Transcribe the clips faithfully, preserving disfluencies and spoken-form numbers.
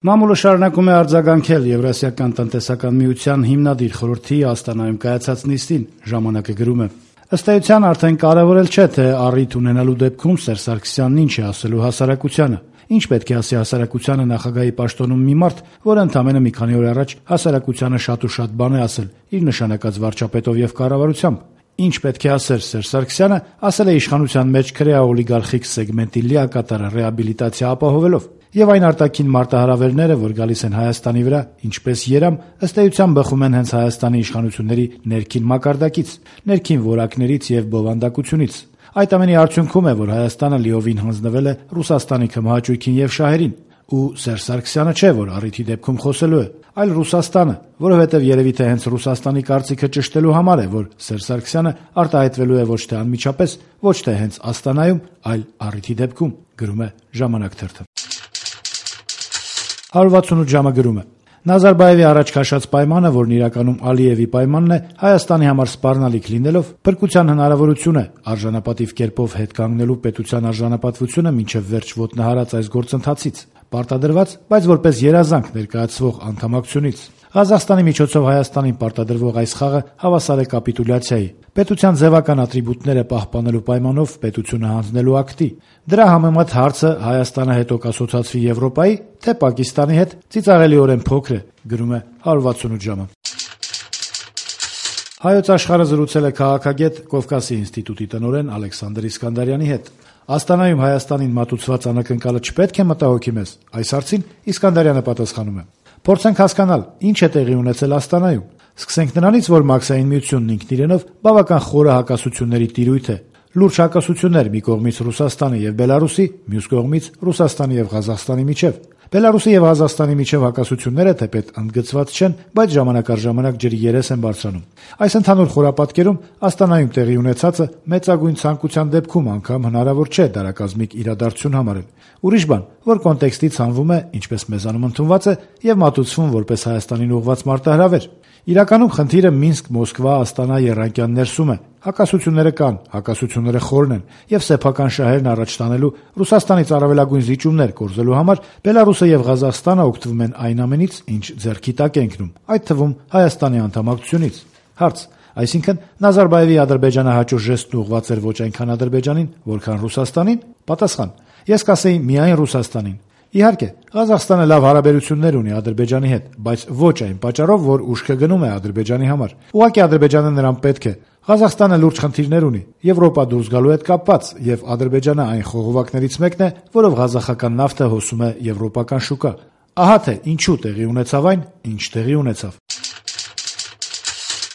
Մամուլը շարունակում է արձագանքել Եվրասիական տնտեսական միության հիմնադիր խորհրդի Աստանայում կայացած նիստին, ժամանակը գրում է. ըստ էության արդեն կարևորել չէ, թե առիթ ունենալու դեպքում Սերժ Սարգսյանն ինչ է ասելու հասարակությանը, ինչ պետք է ասի հասարակությանը նախագահի պաշտոնում մի մարդ, որը ընդամենը մի քանի օր առաջ հասարակությանը շատ ու շատ բան է ասել իր նշանակած վարչապետով եւ կառավարությամբ. Ինչ պետք է ասեր Սերժ Սարգսյանը, ասել է իշխանության մեջ քրեաօլիգարխիկ սեգմենտի լիակատար ռեաբիլիտացիա ապահովելով, եւ այն արտաքին մարտահրավերները, որ գալիս են Հայաստանի վրա, ինչպես երամ, ըստ էության բխում են հենց Հայաստանի իշխանությունների ներքին մակարդակից, ներքին որակներից եւ բովանդակությունից։ Այդ ամենի արդյունքում է, որ Հայաստանը լիովին հանձնվել է Ռուսաստանի քմահաճույքին եւ շահերին, ու Սերժ Սարգսյանը չէ, որ առիթի դեպքում խոսելու է, այլ Ռուսաստանը, որովհետեւ երևի թե հենց Ռուսաստանի կարծիքը ճշտելու համար է, որ Սերժ Սարգսյանը արտահայտվելու է ոչ թե անմիջապես, ոչ թե հենց Աստանայում, այլ առիթի դեպքում, գրում է Ժամանակ թերթը։ հարյուր վաթսունութ ժամը գրում է. Նազարբաևի առաջ քաշած պայմանը, որն իրականում Ալիևի պայմանն է, Հայաստանի համար սպառնալիք լինելով, փրկության հնարավորություն է արժանապատիվ կերպով հետ կանգնելու պետության արժանապատվությունը մինչև վերջ ոտնահարած այս գործընթացից, պարտադրված, բայց որպես երազանք ներկայացվող անդամակցությունից։ Ղազախստանի միջոցով Հայաստանին պարտադրվող այս խաղը հավասար է կապիտուլյացիայի, պետության ձևական ատրիբուտները պահպանելու պայմանով պետությունը հանձնելու ակտի։ Դրա համեմատ հարցը Հայաստանը հետո կասոցացվի Եվրոպայի, թե Պակիստանի հետ ծիծաղելիորեն փոքր է, գրում է հարյուր վաթսունութ ժամը։ Հայոց աշխարհը զրուցել է քաղաքագետ Կովկասի ինստիտուտի տնօրեն Ալեքսանդր Իսկանդարյանի հետ։ Աստանայում Հայաստանին մատուցված անակնկալը չպետք է մտահոգի մեզ։ Այս հարցին Իսկանդարյանը պատասխանում է. Փորձենք հասկանալ, ինչ է տեղի ունեցել Աստանայում։ Սկսենք նրանից, որ Մաքսային միությունն ինքն իրենով բավական խորը հակասությունների տիրույթ է։ Լուրջ հակասություններ մի կողմից Ռուսաստանի եւ Բելարուսի, մյուս կողմից Ռուսաստանի եւ Ղազախստանի միջեւ։ Բելարուսի եւ Ղազախստանի միջեւ հակասությունները թեպետ ընդգծված չեն, բայց ժամանակ առ ժամանակ ջրի երես են բարձրանում։ Այս ընդհանուր խորապատկերում Աստանայում տեղի ունեցածը մեծագույն ցանկության դեպքում անգամ հնարավոր չէ դարակազմիկ իրադարձություն համարել։ Ուրիշ բան, որ կոնտեքստից հանվում է, ինչպես մեզանում ընդունված է, եւ մատուցվում որպես Հայաստանին ուղղված մարտահրավեր։ Իրականում խնդիրը Մինսկ-Մոսկվա-Աստանա եռանկյան ներսում է։ Հակասությունները կան, հակասությունները խորն են, եւ սեփական շահերն առաջ տանելու Ռուսաստանից առավելագույն զիջումներ կորզելու համար Բելարուսը եւ Ղազախստանը օգտվում են այն ամենից, ինչ ձեռքի տակ է ընկնում, այդ թվում Հայաստանի անդամակցությունից։ Հարց. Այսինքն Նազարբաևի ադրբեջանահաճո ժեստն ուղղված էր ոչ այնքան Ադրբեջանին, որքան Ռուսաստանին։ Պատասխան. Ես կասեի միայն Ռուսաստանին։ Իհարկե, Ղազախստանը լավ հարաբերություններ ունի Ադրբեջանի հետ, բայց ոչ այն պատճառով, որ ուշքը գնում է Ադրբեջանի համար։ Ուղղակի Ադրբեջանը նրան պետք է։ Ղազախստանը լուրջ խնդիրներ ունի, Եվրոպա դուրս գալու հետ կապված, եւ Ադրբեջանը այն խողովակներից մեկն է, որով ղազախական նավթը հոսում է եվրոպական շուկա։ Ահա թե ինչու տեղի ունեցավ այն, ինչ տեղի ունեցավ։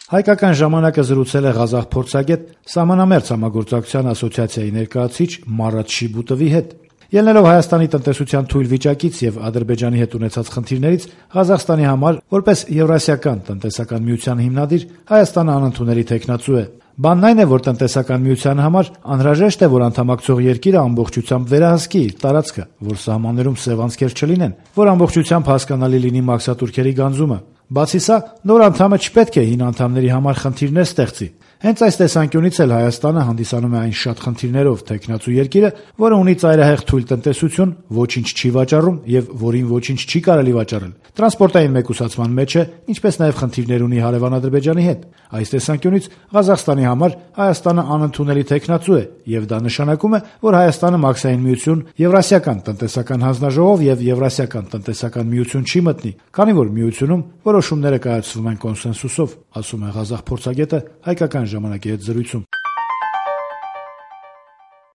Հայկական ժամանակը զրուցել է ղազախ փորձագետ Սահմանամերձ համագործակցության ասոցիացիայի ներկայացուցիչ Մարատ Շիբուտովի հետ։ Ելնելով Հայաստանի տնտեսության թույլ վիճակից եւ Ադրբեջանի հետ ունեցած խնդիրներից, Ղազախստանի համար, որպես Եվրասիական տնտեսական միության հիմնադիր, Հայաստանը անընդունելի թեկնածու է։ Բանն այն է, որ տնտեսական միության համար անհրաժեշտ է, որ անդամակցող երկիրը ամբողջությամբ վերահսկի իր տարածքը, որ սահմաններում սև անցքեր չլինեն, որ ամբողջությամբ հասկանալի լինի մաքսատուրքերի գանձումը։ Բացի սա, նոր անդամը չպետք է հին անդամների համար խնդիրներ ստեղծի։ Հենց այս տեսանկյունից էլ Հայաստանը հանդիսանում է այն շատ խնդիրներով թեկնածու երկիրը, որը ունի ծայրահեղ թույլ տնտեսություն, ոչինչ չի վաճառում եւ որին ոչինչ չի կարելի վաճառել։ Տրանսպորտային մեկուսացման մեջ է, ինչպես նաեւ խնդիրներ ունի հարևան Ադրբեջանի հետ։ Այս տեսանկյունից Ղազախստանի համար Հայաստանը անընդունելի թեկնածու է, եւ դա նշանակում է, որ Հայաստանը Մաքսային միություն, Եվրասիական տնտեսական հանձնաժողով եւ Եվրասիական տնտեսական միություն չի մտնի, քանի որ միությունում որոշումները կայացվում են կոնսենսուսով, ասում է ղազախ փորձագետը Հայկական ժամանակի հետ զրույցում։